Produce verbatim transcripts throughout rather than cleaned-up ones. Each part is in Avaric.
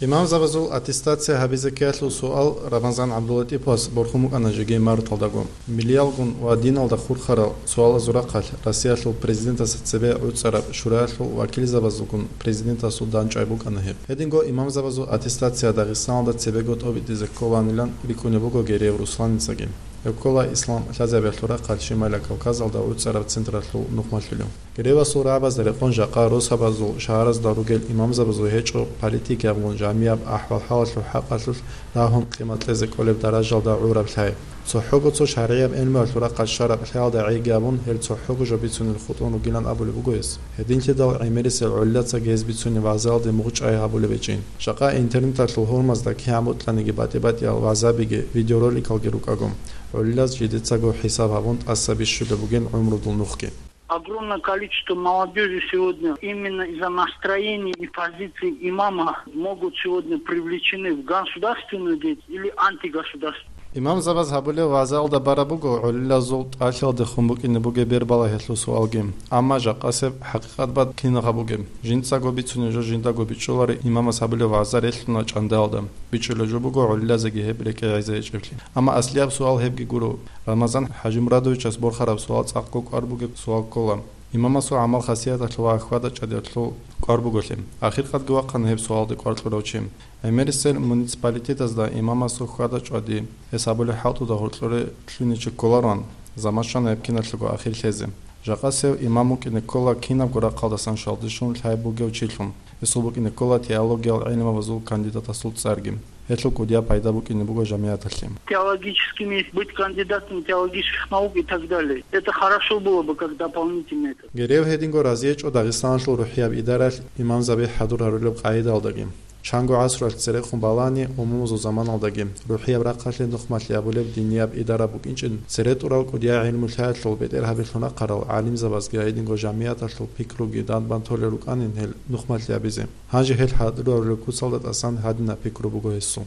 Имамзабазул аттестация гьабизе ккеялъул суал Рамазан ГӀабдуллатӀиповас борхун букӀана жеги марталдаго. Миллиялгун ва диналда хурхарал суалазул рахъалъ Россиялъул президентасда цебе гӀуцӀараб шураялъул вакилзабазулгун президентасул дандчӀвай букӀана гьеб. Гьединго имамзабазул аттестация Дагъистаналда цебего тӀобитӀизе кколанилан рикӀкӀунеб буго Гереев Русланицаги. Гьеб ккола ислам лъазабиялъул рахъалъ Шималияб Кавказалда гӀуцӀараб централъул нухмалъулев. Геревасул рагӀабазда рекъон жакъа росабазул, шагьаразда ругел имамзабазул гьечӀо политикиябгун жамияб ахӀвал-хӀалалъул хӀакъалъулъ рагьун къимат кьезе кӀолеб даражалда гӀураб лъай. ЦохӀого цо шаргӀияб гӀелмуялъул рахъалъ щвараб лъаялда гӀейги абун, гьел цохӀого жо бицунел хутӀун ругилан абулеб буго гьес. Гьединлъидал гӀемерисел гӀолилацаги гьез бицунеб вагӀзаялде мугъчӀвай гьабулеб гьечӀин. Жакъа интернеталъул гьурмазда кигӀан бокьаниги батӀи-батӀиял вагӀзабиги, видеороликалги рукӀаго, гӀолилаз жидецаго хӀисаб гьабун тӀаса бищулеб бугин гӀумрудул нухги. Огромное количество молодежи сегодня именно из-за настроения и позиции имама могут сегодня привлечены в государственную деятельность или антигосударственную. Имамзабаз гьабулеб вагӀзаялда бараб буго гӀолилазул тӀалъиялдехун букӀине бугеб бербалагьиялъул суалги. Амма жакъасеб хӀакъикъат бат кинаб гьабугеб? Жинцаго бицунеб жо жиндаго бичӀчӀуларо имамас гьабулеб вагӀза релълъуна чӀандаялда. БичӀчӀулеб жо буго гӀолилазеги гьеб рекӀее гӀеза гьечӀеблъи. Амма аслияб суал гьебги гуро. Рамазан ХӀажимурадовичас борхараб суал цӀакъго кӀвар бугеб суал ккола. Имамасул гӀамал-хасияталъул ва хьвада-чӀвадиялъул кӀвар буголъи. Ахиркъадги вахъана гьеб суалде кӀвар кьурав чи. ГӀемерисел муниципалитетазда имамасул хьвада-чӀвади, гьес абулеб хӀалтӀуда гьоркьоре лъугьинчи кколароан, заман щвана гьеб киналъего ахир лъезе. Жакъасев имам вукӀине ккола кинабго рахъалдасан щвалдилъун лъай бугев чилъун. Гьесул букӀине ккола теологиял гӀилмабазул кандидатасул цӀарги. Гьелъул кӀудияб пайда букӀине буго жамигӀаталъе. Теологическими быть кандидатом теологических наук и так далее. Это хорошо было бы как дополнительное. Герев гьединго разиечӀо Дагъистаналъул рухӀияб идаралъ имамзаби хӀадур гьарулеб къагӀидаялдаги. Чанго гӀасралъ церехун балани, умумузул заманалдаги рухӀияб рахъалъе нухмалъи абулеб динияб идара букӀинчӀин, цере тӀурал кӀудиял гӀилму-лъаялъул бетӀергьабилъун рахъарал гӀалимзабазги гьединго жамигӀаталъул пикруги дандбан толел рукӀанин гьел нухмалъи абизе. Гьанже гьел хӀадур гьарулеб куцалда тӀасан гьадинаб пикру буго гьесул.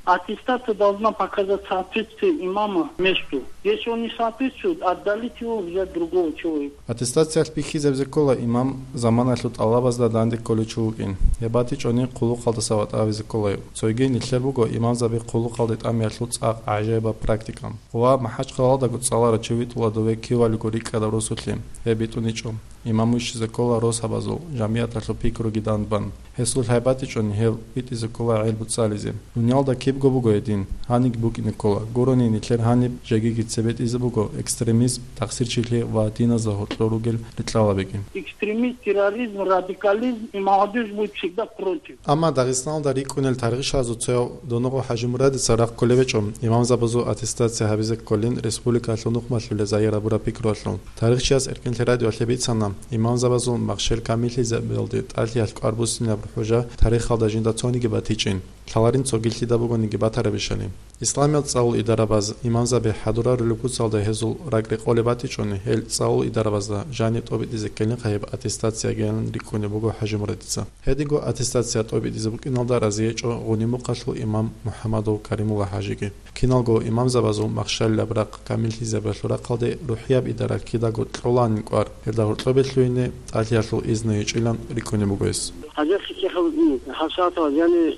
Аттестация должна показать соответствие имама месту. Если он не соответствует, отдалить его, взять другого человека. Аттестациялъ бихьизабизе ккола имам заманалъул тӀалабазда данде кколев чи вукӀин. Гьеб батичӀони хъулухъалдаса ватӀа гьавизе ккола гьев. Цойги нилъер буго имамзаби хъулухъалде тӀамиялъул цӀакъ гӀажаибаб практика. Ва МахӀачхъалалдаго цӀаларав чи витӀула дове кивалиго рикӀкӀадав росулъе. Гьеб битӀуничӀо. Имам вищизе ккола росабазул, жамигӀаталъул пикруги дандбан. Гьесул лъай батичӀони гьев витӀизе ккола гӀел буцӀцӀализе. Дуниялда кибго буго гьедин, гьаниб букӀине ккола. Гурони нилъер гьаниб жегиги цебетӀизе буго экстремизм, тахсирчилъи ва диназда гьоркьор ругел рикьалабиги. Экстремизм, терроризм, радикализм, и молодежь будет всегда против. Амма Дагъистаналда рикӀкӀунел тарихчиясул цояв Доногъо ХӀажимурадица рагъ кколеб гьечӀо имамзабазул аттестация гьабизе кколин республикалъул нухмалъулел загьир гьабураб пикруялъул. Тарихчияс Эркинлъи радиоялъе бицана, имамзабазул махщел камиллъизабиялде тӀалъиялъ кӀвар буссинаб хӀужа тарихалда жинда цониги батичӀин, лъаларин цогилъида бугониги батарабищали. Исламиял цӀалул идарабаз имамзаби хӀадур гьарулеб куцалда гьезул ракӀ рекъолеб батичӀони, гьел цӀалул идарабазда жаниб тӀобитӀизе ккелин гьеб аттестациягиян рикӀкӀунеб буго ХӀажимурадица. Гьединго аттестация тӀобитӀизе букӀиналда разиечӀо Гъунимухъалъул имам МухӀаммадов Каримулла ХӀажиги. Киналго имамзабазул махщалилаб рахъ камиллъизабиялъул рахъалде рухӀияб идара кидаго кьоланин кӀвар, гьелда гьоркьобе лъугьине тӀалъиялъул изну гьечӀилан рикӀкӀунеб буго гьес. ХӀажалъи кехал, м, хӀасатал, яни,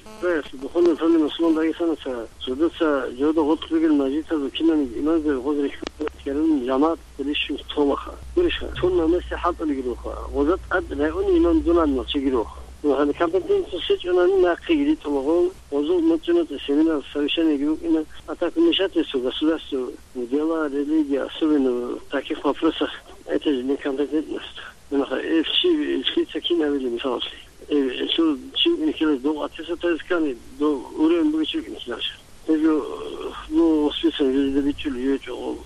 духовный управление мусулман Дагестана ца, жодоца, жодо гъоркь ругел мажлисазул кинабниги имамзаби гъоз рихьун, жамагӀат Лишин толаха. Гурищха, тун намеси хӀалтӀулигируха. Гъоза тӀад райони имам дунан махчигируха. Ну, гьаниб компетенция щечӀунани нахъеги ритӀулагъун, гъозул муцӀи-муцӀи семинар, совещаниеги букӀина, а так вмешательство государства в дела религии, особенно в таких вопросах, это же некомпетентность. Нахъа, э, чи, чи ца кин гьавили, мисалалъе. Э, цо чи вукӀине ккелас дов аттестация ккани, дов уровень бугев чи вукӀине ккеларищ. Гьеб жо, ну, воспитан жо жида бичӀчӀулев гьечӀо,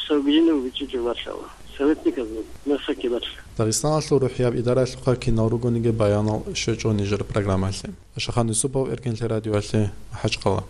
сабгиянав бичӀчӀичӀо батлъала. Советниказул масакки батла. Дагъистаналъул рухӀияб идаралъухъа кинал ругониги баянал щвечӀо нижер программалъе. Ашахан Юсупов, Эркинлъи радиоялъе, МахӀачхъала.